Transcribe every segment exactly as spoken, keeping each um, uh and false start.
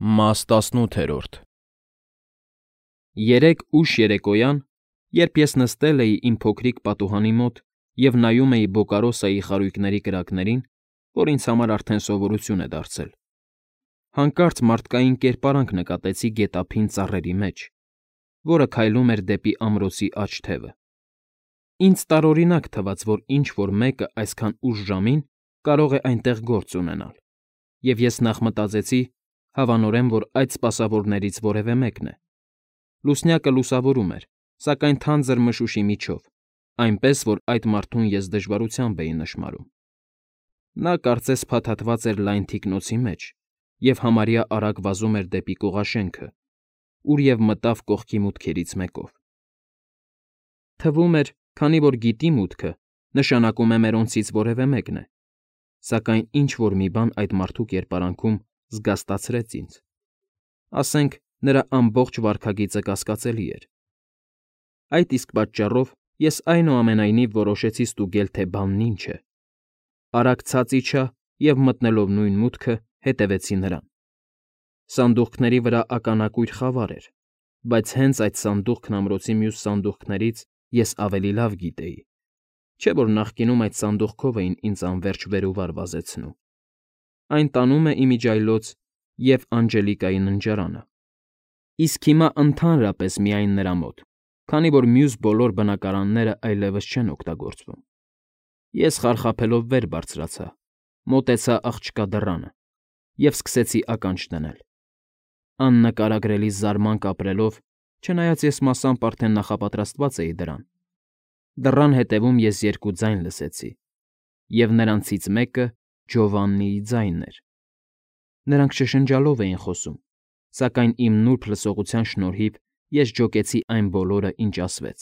Մաս տասնութերորդ Երեկ ուշ երեկոյան, երբ ես նստել էի իմ փոքրիկ պատուհանի մոտ և նայում էի Բոկարոսայի խարույկների կրակներին, որ ինձ համար արդեն սովորություն է դարձել, հանկարծ մարդկային կերպարանք նկատեցի գետափին ծառերի մեջ, որը քայլում էր դեպի ամրոցի աջ թևը. ինձ տարօրինակ թվաց, որ ինչ֊որ մեկը այսքան ուշ ժամին կարող է այնտեղ գործ ունենալ, և ես նախ մտածեցի, հավանորեն, որ այդ սպասավորներից որևէ մեկն է. լուսնյակը լուսավորում էր, սակայն թանձր մշուշի միջով, այնպես, որ այդ մարդուն ես դժվարությամբ էի նշմարում. նա կարծես փաթաթված էր լայն թիկնոցի մեջ և համարյա արագ վազում էր դեպի կողաշենքը, ուր և մտավ կողքի մուտքերից մեկով. Թվում էր, քանի որ գիտի մուտքը, նշանակում է մերոնցից որևէ մեկն է, սակայն ինչ֊որ մի բան այդ մարդու կերպարանքում զգաստացրեց ինձ, ասենք, նրա ամբողջ վարքագիծը կասկածելի էր. այդ իսկ պատճառով ես այնուամենայնիվ որոշեցի ստուգել, թե բանն ինչ է, արագ ցած իջա և մտնելով նույն մուտքը, հետևեցի նրան. սանդուղքների վրա ականակույր խավար էր, բայց հենց այդ սանդուղքն ամրոցի մյուս սանդուղքներից ես ավելի լավ գիտեի, չէ՞ որ նախկինում այդ սանդուղքով էին ինձ անվերջ վեր ու վար վազեցնում, այն տանում է իմիջիայլոց և Անջելիկայի ննջարանը, իսկ հիմա ընդհանրապես միայն նրա մոտ, քանի որ մյուս բոլոր բնակարանները այլևս չեն օգտագործվում. Ես խարխափելով վեր բարձրացա, մոտեցա աղջկա դռանը և սկսեցի ականջ դնել, աննկարագրելի զարմանք ապրելով, չնայած ես մասամբ արդեն նախապատրաստված էի դրան, դռան հետևում ես երկու ձայն լսեցի, և նրանցից մեկը Ջովաննիի ձայնն էր. նրանք շշնջալով էին խոսում, սակայն իմ նուրբ լսողության շնորհիվ ես ջոկեցի այն բոլորը, ինչ ասվեց.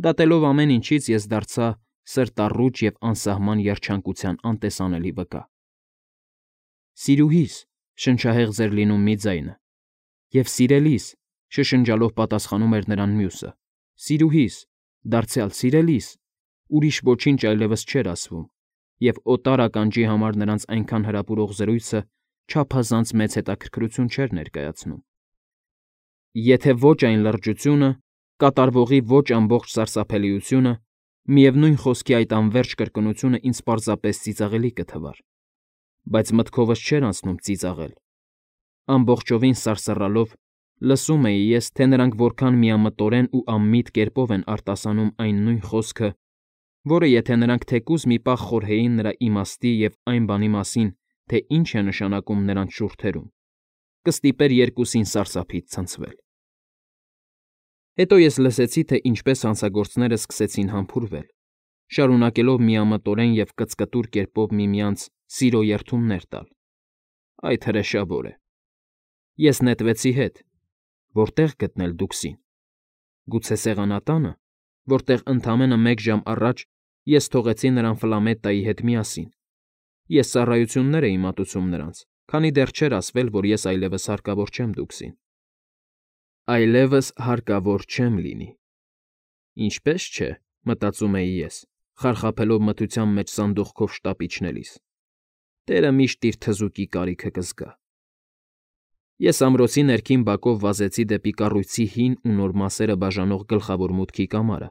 դատելով ամեն ինչից ես դարձա սրտառուչ և անսահման երջանկության անտեսանելի վկա։ ֊ Սիրուհի՛ս,֊ շնչահեղձ էր լինում մի ձայնը, և սիրելի՛ս,֊ շշնջալով պատասխանում էր նրան մյուսը, սիրուհի՛ս, դարձյալ սիրելի՛ս, ուրիշ ոչինչ այլևս չէր ասվում, և օտար ականջի համար նրանց այնքան հրապուրող զրույցը չափազանց մեծ հետաքրքրություն չէր ներկայացնում։ Եթե ոչ այն լրջությունը, կատարվողի ոչ ամբողջ սարսափելիությունը, միևնույն խոսքի այդ անվերջ կրկնությունը ինձ պարզապես ծիծաղելի կթվար, բայց մտքովս չէր անցնում ծիծաղել. ամբողջովին սարսռալով, լսում էի ես, թե նրանք որքան միամտորեն ու անմիտ կերպով են արտասանում այն նույն խոսքը, որը եթե նրանք թեկուզ մի պահ խորհեին նրա իմաստի և այն բանի մասին, թե ինչ է նշանակում նրանց շուրթերում, կստիպեր երկուսին սարսափից ցնցվել։ Հետո ես լսեցի, թե ինչպես հանցագործները սկսեցին համբուրվել, շարունակելով միամտորեն և կծկտուր կերպով միմյանց սիրո երդումներ տալ. այդ հրեշավոր է։ Ես նետվեցի հետ. որտե՞ղ գտնել Դուքսին։ Գուցե սեղանատա՞նը, որտեղ ընդամենը մեկ ժամ առաջ ես թողեցի նրան Ֆլամետտայի հետ միասին։ Ես ծառայություններ էի մատուցում նրանց, քանի դեռ չէր ասվել, որ ես այլևս հարկավոր չեմ Դուքսին։ Այլևս հարկավոր չեմ լինի։ Ինչպե՞ս չէ, մտածում էի ես, խարխափելով մթության մեջ սանդուղքով շտապ իջնելիս, տերը միշտ իր թզուկի կարիքը կզգա։ Ես ամրոցի ներքին բակով վազեցի դեպի կառույցի հին ու նոր մասերը բաժանող գլխավոր մուտքի կամարը,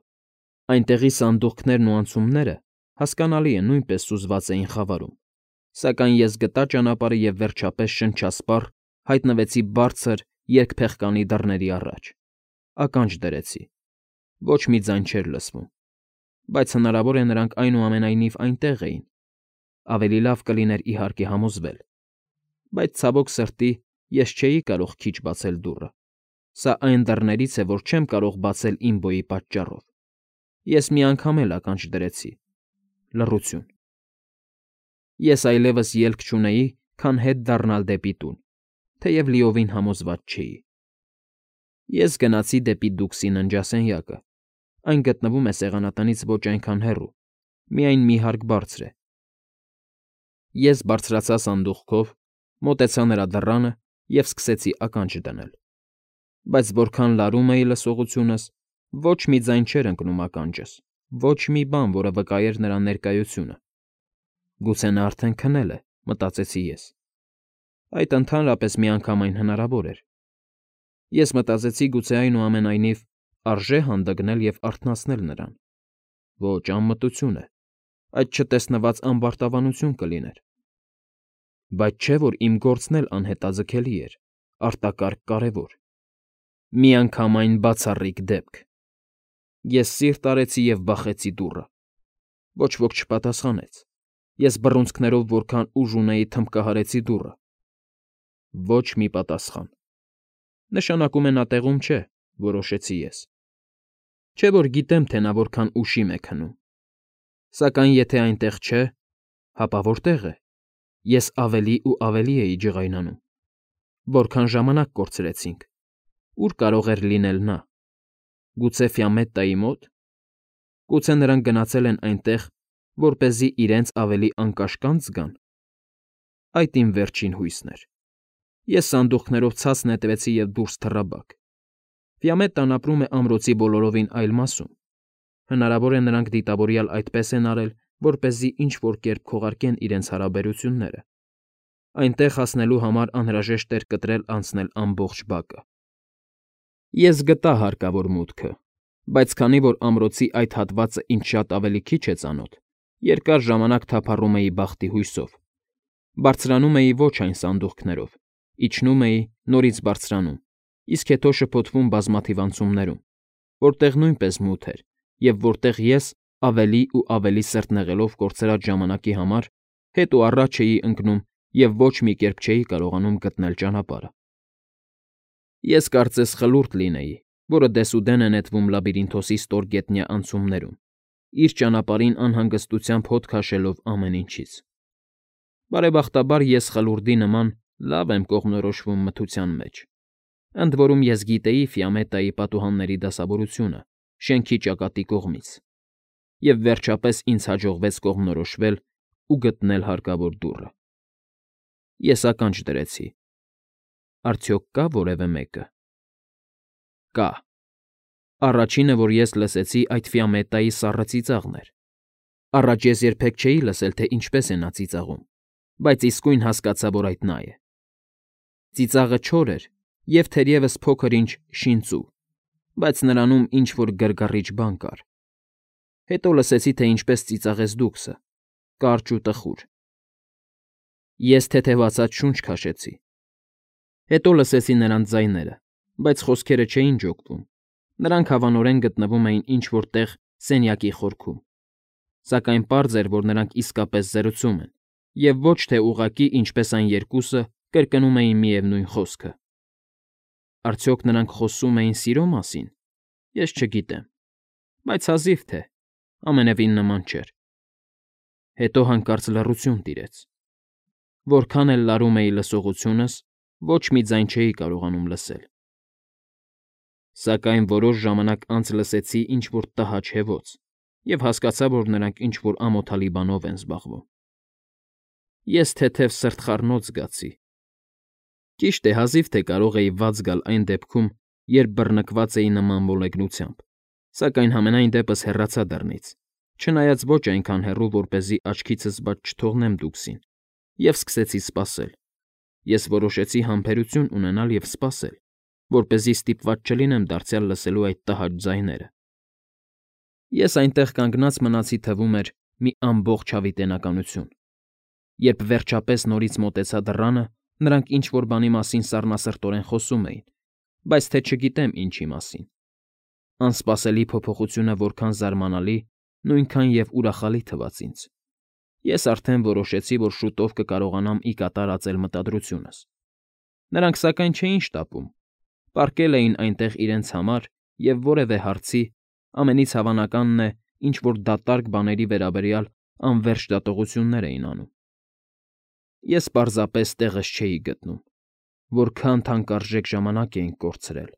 այնտեղի սանդուղքներն ու անցումները, հասկանալի է, նույնպես սուզված էին խավարում, սակայն ես գտա ճանապարհը և վերջապես շնչասպառ հայտնվեցի բարձր երկփեղկանի դռների առաջ, ականջ դրեցի, ոչ մի ձայն չէր լսվում, բայց հնարավոր է նրանք այնուամենայնիվ այնտեղ էին, ավելի լավ կլիներ իհարկե համոզվել, բայց ցավոք սրտի ես չէի կարող քիչ բացել դուռը, սա այն դռներից է, որ չեմ կարող բացել իմ բոյի պատճառով, ես մի անգամ էլ ականջ դրեցի, լռություն։ Ես այլևս ելք չունեի, քան հետ դառնալ դեպի տուն, թեև լիովին համոզված չէի։ Ես գնացի դեպի Դուքսի ննջասենյակը, այն գտնվում է սեղանատնից ոչ այնքան հեռու, միայն մի հարկ բարձր է։ Ես բարձրացա սանդուղքով, մոտեցա նրա դռանը և սկսեցի ականջ դնել, բայց որքան լարում էի լսողությունս, ոչ մի ձայն չէր ընկնում ականջս, ոչ մի բան, որը վկայեր նրա ներկայությունը։ Գուցե նա արդեն քնել է, մտածեցի ես։ Այդ ընդհանրապես միանգամայն հնարավոր էր։ Ես մտածեցի, գուցե այնուամենայնիվ արժե հանդգնել և արթնացնել նրան։ Ոչ, անմտություն է, այդ չտեսնված ամբարտավանություն կլիներ։ Բայց չէ՞ որ իմ գործն էլ անհետաձգելի էր, արտակարգ կարևոր։ Միանգամայն բացառիկ դեպք։ Ես սիրտ արեցի և բախեցի դուռը։ Ոչ ոք չպատասխանեց։ Ես բռունցքներով որքան ուժ ունեի թմբկահարեցի դուռը։ Ոչ մի պատասխան։ Նշանակում է նա տեղում չէ, որոշեցի ես։ Չէ՞ որ գիտեմ, թե նա որքան ուշիմ է քնում։ Սակայն եթե այնտեղ չէ, հապա որտե՞ղ է։ Ես ավելի ու ավելի էի ջղայնանում։ Որքան ժամանակ կորցրեցինք։ Ո՞ւր կարող էր լինել նա։ Գուցե Ֆիամետտայի մո՞տ։ Գուցե նրանք գնացել են այնտեղ, որպեսզի իրենց ավելի անկաշկանդ զգան։ Այդ իմ վերջին հույսն էր։ Ես սանդուղքներով ցած նետվեցի և դուրս թռա բակ։ Ֆիամետտան ապրում է ամրոցի բոլորովին այլ մասում։ Հնարավոր է նրանք դիտավորյալ այդպես են արել, որպեսզի ինչ֊որ կերպ քողարկեն իրենց հարաբերությունները։ Այնտեղ հասնելու համար անհրաժեշտ էր կտրել անցնել ամբողջ բակը։ Ես գտա հարկավոր մուտքը, բայց քանի որ ամրոցի այդ հատվածը ինձ շատ ավելի քիչ է ծանոթ, երկար ժամանակ թափառում էի բախտի հույսով։ Բարձրանում էի ոչ այն սանդուղքներով, իջնում էի, նորից բարձրանում, իսկ հետո շփոթվում բազմաթիվ անցումներում, որտեղ նույնպես մութ էր և որտեղ ես, ավելի ու ավելի սրտնեղելով կորցրած ժամանակի համար, հետ ու առաջ էի ընկնում և ոչ մի կերպ չէի կարողանում գտնել ճանապարհը։ Ես կարծես խլուրդ լինեի, որը դեսուդեն է նետվում լաբիրինթոսի ստորգետնյա անցումներում, իր ճանապարհին անհանգստությամբ հոտ քաշելով ամեն ինչից։ Բարեբախտաբար ես խլուրդի նման լավ եմ կողմնորոշվում մթության մեջ։ Ընդ որում ես գիտեի Ֆիամետտայի պատուհանների դասավորությունը շենքի ճակատի կողմից, և վերջապես ինձ հաջողվեց կողմնորոշվել ու գտնել հարկավոր դուռը։ Ես ականջ դրեցի։ Արդյոք կա՞ որևէ մեկը։ Կա։ Առաջինը, որ ես լսեցի, այդ Ֆիամետտայի սառը ծիծաղն էր։ Առաջ ես երբեք չէի լսել, թե ինչպես է նա ծիծաղում, բայց իսկույն հասկացա, որ այդ նա է։ Ծիծաղը չոր էր և թերևս փոքր֊ինչ շինծու, բայց նրանում ինչ֊որ գրգռիչ բան կար։ Հետո լսեցի, թե ինչպես ծիծաղեց դուքսը, կարճ ու տխուր։ Ես թեթևացած շունչ քաշեցի։ Հետո լսեցի նրանց ձայները, բայց խոսքերը չէին ջոկվում։ Նրանք հավանորեն գտնվում էին ինչ֊որ տեղ սենյակի խորքում։ Սակայն պարզ էր, որ նրանք իսկապես զրուցում են, և ոչ թե ուղղակի, ինչպես այն երկուսը, կրկնում էին միևնույն խոսքը։ Արդյոք նրանք խոսում էին սիրո մասի՞ն։ Ես չգիտեմ, բայց հազիվ թե, ամենևին նման չէր։ Հետո հանկարծ լռություն տիրեց։ Որքան էլ լարում էի լսողությունս, ոչ մի ձայն չէի կարողանում լսել։ Սակայն որոշ ժամանակ անց լսեցի ինչ֊որ տհաճ հևոց և հասկացա, որ նրանք ինչ֊որ ամոթալի բանով են զբաղվում։ Ես թեթև սրտխառնոց զգացի։ Ճիշտ է, հազիվ թե կարող էի վատ զգալ այն դեպքում, երբ բռնկված էի նման մոլեգնությամբ, սակայն համենայն դեպս հեռացա դռնից, չնայած ոչ այնքան հեռու, որպեսզի աչքիցս բաց չթողնեմ դուքսին, և սկսեցի սպասել։ Ես որոշեցի համբերություն ունենալ և սպասել, որպեսզի ստիպված չլինեմ դարձյալ լսելու այդ տհաճ ձայները։ Ես այնտեղ կանգնած մնացի, թվում էր, մի ամբողջ հավիտենականություն։ Երբ վերջապես նորից մոտեցա դռանը, նրանք ինչ֊որ բանի մասին սառնասրտորեն խոսում էին, բայց թե չգիտեմ ինչի մասին։ Անսպասելի փոփոխությունը որքան զարմանալի, նույնքան և ուրախալի թվաց ինձ։ Ես արդեն որոշեցի, որ շուտով կկարողանամ ի կատար ածել մտադրությունս։ Նրանք սակայն չէին շտապում, պառկել էին այնտեղ իրենց համար և որևէ հարցի, ամենից հավանականն է, ինչ֊որ դատարկ բաների վերաբերյալ անվերջ դատողություններ էին անում։ Ես պարզապես տեղս չէի գտնում։ Որքան թանկարժեք ժամանակ էինք կորցրել։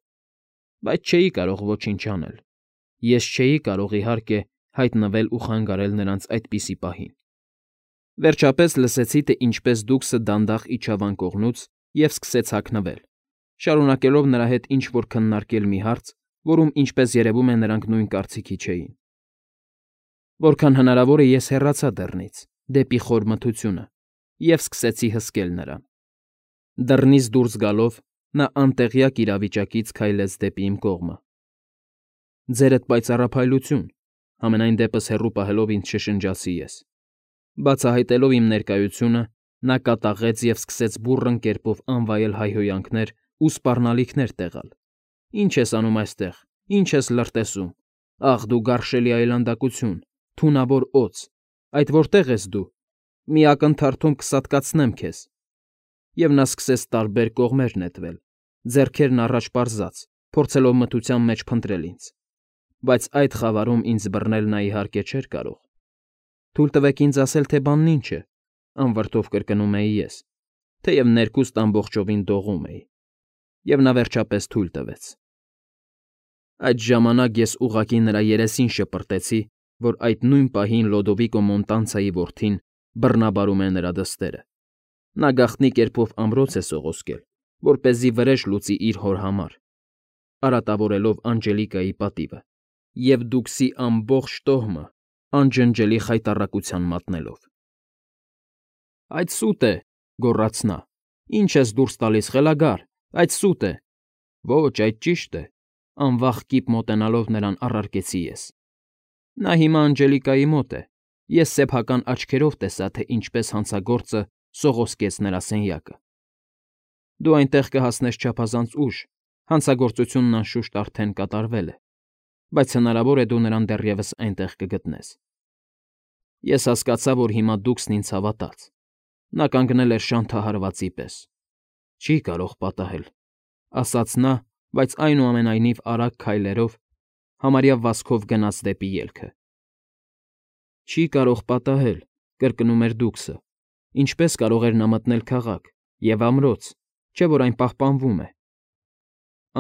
Բայց չէի կարող ոչինչ անել։ Ես չէի կարող, իհարկե, հայտնվել ու խանգարել նրանց այդպիսի պահին։ Վերջապես լսեցի, թե ինչպես դուքսը դանդաղ իջավ անկողնուց և սկսեց հագնվել, շարունակելով նրա հետ ինչ֊որ քննարկել մի հարց, որում, ինչպես երևում է, նրանք նույն կարծիքի չէին։ Որքան հնարավոր է ես հեռացա դռնից, դեպի խոր մթությունը, և սկսեցի հսկել նրան։ Դռնից դուրս գալով՝ նա անտեղյակ իրավիճակից քայլեց դեպի իմ կողմը։ «Ձերդ պայծառափայլություն», համենայն դեպս հեռու պահելով ինձ շշնջացի ես։ Բացահայտելով իմ ներկայությունը՝ նա կատաղեց և սկսեց բուռն կերպով անվայել հայհոյանքներ ու սպառնալիքներ տեղալ։ «Ի՞նչ ես անում այստեղ, ի՞նչ ես լրտեսում, ախ դու գարշելի այլանդակություն, թունավոր օձ, այդ որտե՞ղ ես դու, մի ակնթարթում կսատկացնեմ քեզ»։ Եվ նա սկսեց տարբեր կողմեր նետվել, ձեռքերն առաջ պարզած, փորձելով մթության մեջ փնտրել ինձ։ Բայց այդ խավարում ինձ բռնել նա, իհարկե, չէր կարող։ «Թույլ տվեք ինձ ասել, թե բանն ինչ է», անվրդով կրկնում էի ես, թեև ներքուստ ամբողջովին դողում էի։ Եվ նա վերջապես թույլ տվեց։ Այդ ժամանակ ես ուղղակի նրա երեսին շպրտեցի, որ այդ նույն պահին Լոդովիկո Մոնտանցայի որդին բռնաբարում է նրա դստերը։ Նա գաղտնի կերպով ամրոց է սողոսկել, որպեսզի վրեժ լուծի իր հոր համար, արատավորելով Անջելիկայի պատիվը և Դուքսի ամբողջ տոհմը անջնջելի խայտառակության մատնելով։ «Այդ սուտ է,֊ գոռաց նա,֊ ի՞նչ ես դուրս տալիս, խելագար, այդ սուտ է»։ «Ոչ, այդ ճիշտ է,֊ անվախ կիպ մոտենալով նրան առարկեցի ես։ Նա հիմա Անջելիկայի մոտ է, ես սեփական աչքերով տեսա, թե ինչպես հանցագործը սողոսկեց նրա սենյակը։ Դու այնտեղ կհասնես չափազանց ուշ, հանցագործությունն անշուշտ արդեն կատարվել է, բայց հնարավոր է դու նրան դեռևս այնտեղ կգտնես։ Ես հասկացա, որ հիմա Դուքսն ինձ հավատաց։ Նա կանգնել էր շանթահարվածի պես։ «Չի կարող պատահել,֊ ասաց նա, բայց այնուամենայնիվ արագ քայլերով, համարյա վազքով գնաց դեպի ելքը։ «Չի կարող պատահել,֊ կրկնում էր Դուքսը,֊ ինչպես կարող էր նա մտնել քաղաք և ամրոց, չէ՞ որ այն պահպանվում է»։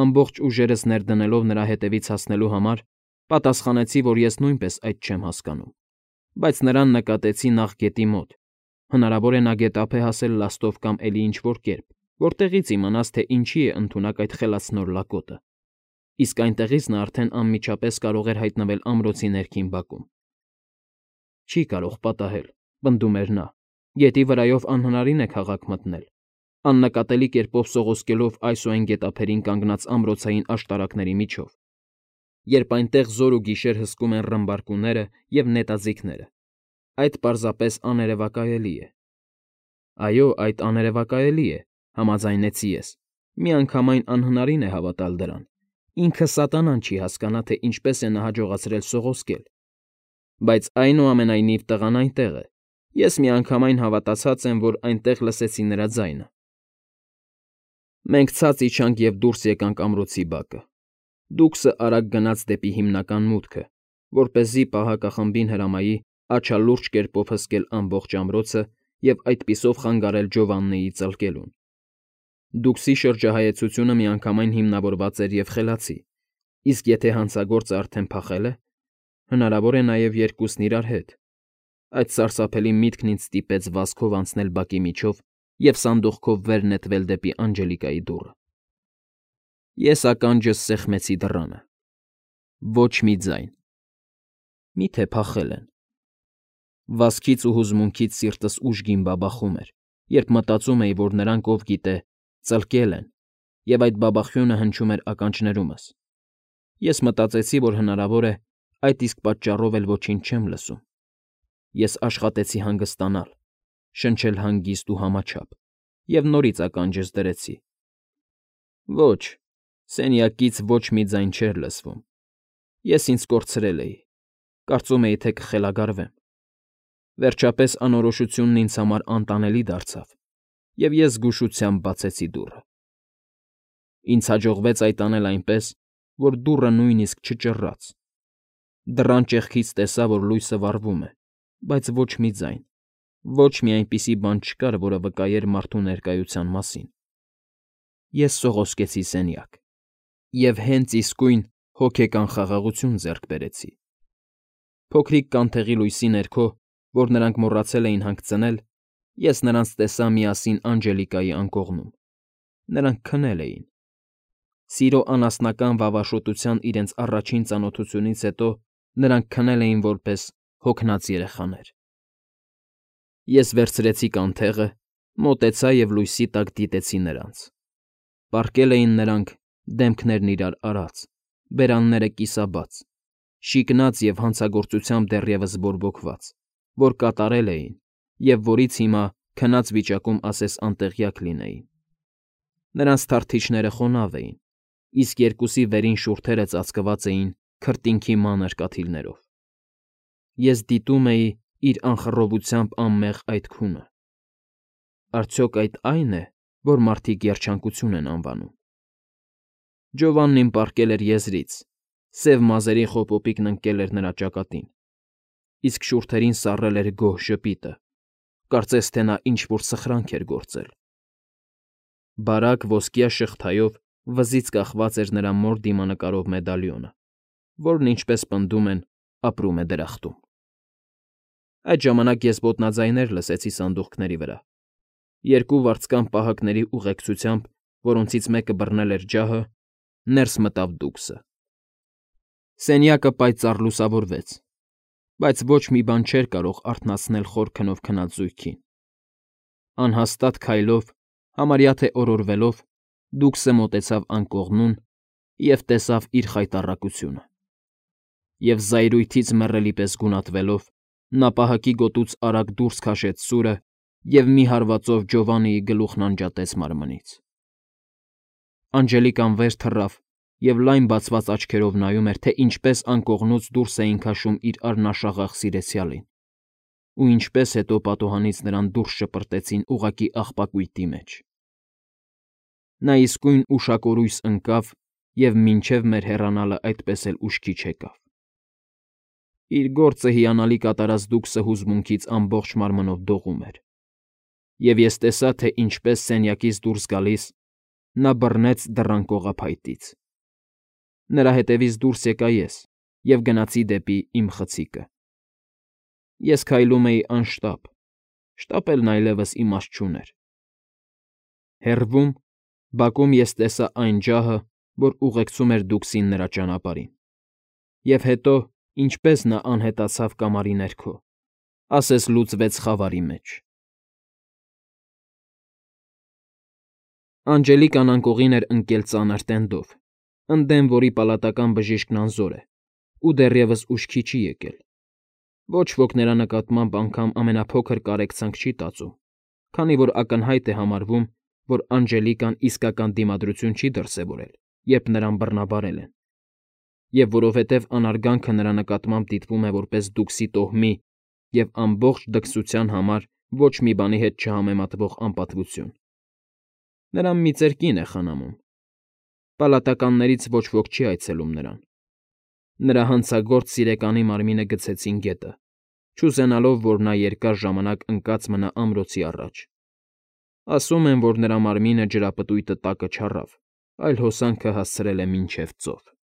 Ամբողջ ուժերս ներդնելով նրա հետևից հասնելու համար, պատասխանեցի, որ ես նույնպես այդ չեմ հասկանում, բայց նրան նկատեցի նախ գետի մոտ, հնարավոր է նա գետափ է հասել լաստով կամ էլի ինչ֊որ կերպ, որտեղից իմանաս, թե ինչի է ընդունակ այդ խելացնոր լակոտը, իսկ այնտեղից նա արդեն անմիջապես կարող էր հայտնվել ամրոցի ներքին բակում։ «Չի կարող պատահել,֊ պնդում էր նա,֊ գետի վրայով անհնարին է քաղաք մտնել, աննկատելի կերպով սողոսկելով այս ու այն գետափերին կանգնած ամրոցային աշտարակների միջով, երբ այնտեղ զօր ու գիշեր հսկում են ռմբարկուները և նետաձիգները։ Այդ պարզապես աներևակայելի է»։ «Այո, այդ աներևակայելի է,֊ համաձայնեցի ես, միանգամայն անհնարին է հավատալ դրան, ինքը սատանան չի հասկանա, թե ինչպես է նա հաջողացրել սողոսկել։ Բայց այնուամենայնիվ տղան այնտեղ է, ես միանգամայն հավատացած եմ, որ այնտեղ լսեցի նրա ձայնը»։ Մենք ցած իջանք և դուրս եկանք ամրոցի բակը։ Դուքսը արագ գնաց դեպի հիմնական մուտքը, որպեսզի պահակախմբին հրամայի աչալուրջ կերպով հսկել ամբողջ ամրոցը և այդպիսով խանգարել Ջովաննիի ծլկելուն։ Դուքսի շրջահայացությունը միանգամայն հիմնավորված էր և խելացի, իսկ եթե հանցագործը արդեն փախել է, հնարավոր է նաև երկուսն իրար հետ։ Այդ սարսափելի միտքն ինձ ստիպեց վազքով անցնել բակի միջով և սանդուղքով վեր նետվել դեպի Անջելիկայի դուռը։ Ես ականջս սեղմեցի դռանը։ Ոչ մի ձայն։ Մի՞թե փախել են։ Վազքից ու հուզմունքից սիրտս ուժգին բաբախում էր, երբ մտածում էի, որ նրանք, ով գիտե, ծլկել են, և այդ բաբախյունը հնչում էր ականջներումս։ Ես մտածեցի, որ հնարավոր է, այդ իսկ պատճառով էլ ոչինչ չեմ լսում։ Ես աշխատեցի հանգստանալ, շնչել հանգիստ ու համաչափ և նորից ականջս դրեցի։ Ոչ, սենյակից ոչ մի ձայն չէր լսվում։ Ես ինձ կորցրել էի, կարծում էի, թե կխելագարվեմ։ Վերջապես անորոշությունն ինձ համար անտանելի դարձավ, և ես զգուշությամբ բացեցի դուռը։ Ինձ հաջողվեց այդ անել այնպես, որ դուռը նույնիսկ չճռռաց։ Դռան ճեղքից տեսա, որ լույսը վառվում է, բայց ոչ մի ձայն, ոչ մի այնպիսի բան չկար, որը վկայեր մարդու ներկայության մասին։ Ես սողոսկեցի սենյակ և հենց իսկույն հոգեկան խաղաղություն ձեռք բերեցի։ Փոքրիկ կանթեղի լույսի ներքո, որ նրանք մոռացել էին հանգցնել, ես նրանց տեսա միասին Անջելիկայի անկողնում։ Նրանք քնել էին։ Սիրո անասնական վավաշոտության իրենց առաջին ծանոթությունից հետո նրանք քնել էին որպես հոգնած երեխաներ։ Ես վերցրեցի կանթեղը, Մոտեցա և լույսի տակ դիտեցի նրանց։ Պառկել էին նրանք, դեմքներն իրար արած, բերանները կիսաբաց, շիկնած և հանցագործությամբ դեռևս բորբոքված, որ կատարել էին և որից հիմա քնած վիճակում ասես անտեղյակ լինեին։ Նրանց թարթիչները խոնավ էին, իսկ երկուսի վերին շուրթերը ծածկված էին քրտինքի մանր կաթիլներով։ Ես դիտում էի իր անխռովությամբ անմեղ այդ քունը։ Արդյոք այդ ա՞յն է, որ մարդիկ երջանկություն են անվանում։ Ջովաննին պառկել էր եզրից, սև մազերի խոպոպիկն ընկել էր նրա ճակատին, իսկ շուրթերին սառել էր գոհ ժպիտը, կարծես թե նա ինչ֊որ սխրանք էր գործել։ Բարակ ոսկյա շղթայով վզից կախված էր նրա մոր դիմանկարով մեդալիոնը, որն, ինչպես պնդում են, ապրում է դրախտում։ Այդ ժամանակ ես ոտնաձայներ լսեցի սանդուղքների վրա։ Երկու վարձկան պահակների ուղեկցությամբ, որոնցից մեկը բռնել էր ջահը, ներս մտավ դուքսը։ Սենյակը պայծառ լուսավորվեց, բայց ոչ մի բան չէր կարող արթնացնել խոր քնով քնած զույգին։ Անհաստատ քայլով, համարյա թե օրորվելով, դուքսը մոտեցավ անկողնուն և տեսավ իր խայտառակությունը։ Եվ զայրույթից մեռելի պես գունատվելով, նա պահակի գոտուց արագ դուրս քաշեց սուրը և մի հարվածով Ջովաննիի գլուխն անջատեց մարմնից։ Անջելիկան վեր թռավ և լայն բացված աչքերով նայում էր, թե ինչպես անկողնուց դուրս էին քաշում իր առնաշաղախ սիրեցյալին, ու ինչպես հետո պատուհանից նրան դուրս շպրտեցին ուղղակի աղբակույտի մեջ։ Նա իսկույն ուշակորույս ընկավ և մինչև մեր հեռանալը այդպես էլ ուշքի չեկավ։ Իր գործը հիանալի կատարած դուքսը հուզմունքից ամբողջ մարմնով դողում էր, և ես տեսա, թե ինչպես սենյակից դուրս գալիս նա բռնեց դռան կողափայտից։ Նրա հետևից դուրս եկա ես և գնացի դեպի իմ խցիկը։ Ես քայլում էի անշտապ, շտապելն այլևս իմաստ չուներ։ Հեռվում, բակում ես տեսա այն ջահը, որ ուղեկցում էր դուքսին նրա ճանապարհին, և հետո, ինչպես նա անհետացավ կամարի ներքո, ասես լուծվեց խավարի մեջ։ Անջելիկան անկողին էր ընկել ծանր տենդով, ընդդեմ որի պալատական բժիշկն անզոր է ու դեռևս ուշքի չի եկել։ Ոչ ոք նրա նկատմամբ անգամ ամենափոքր կարեկցանք չի տածում, քանի որ ակնհայտ է համարվում, որ Անջելիկան իսկական դիմադրություն չի դրսևորել, երբ նրան բռնաբարել են, և որովհետև անարգանքը նրա նկատմամբ դիտվում է որպես դուքսի տոհմի և ամբողջ դքսության համար ոչ մի բանի հետ չհամեմատվող անպատվություն։ Նրան մի ծեր կին է խնամում։ Պալատականներից ոչ ոք չի այցելում նրան։ Նրա հանցագործ սիրեկանի մարմինը գցեցին գետը, չուզենալով, որ նա երկար ժամանակ ընկած մնա ամրոցի առաջ։ Ասում են, որ նրա մարմինը ջրապտույտը տակը չառավ, այլ հոսանքը հասցրել է մինչև ծով։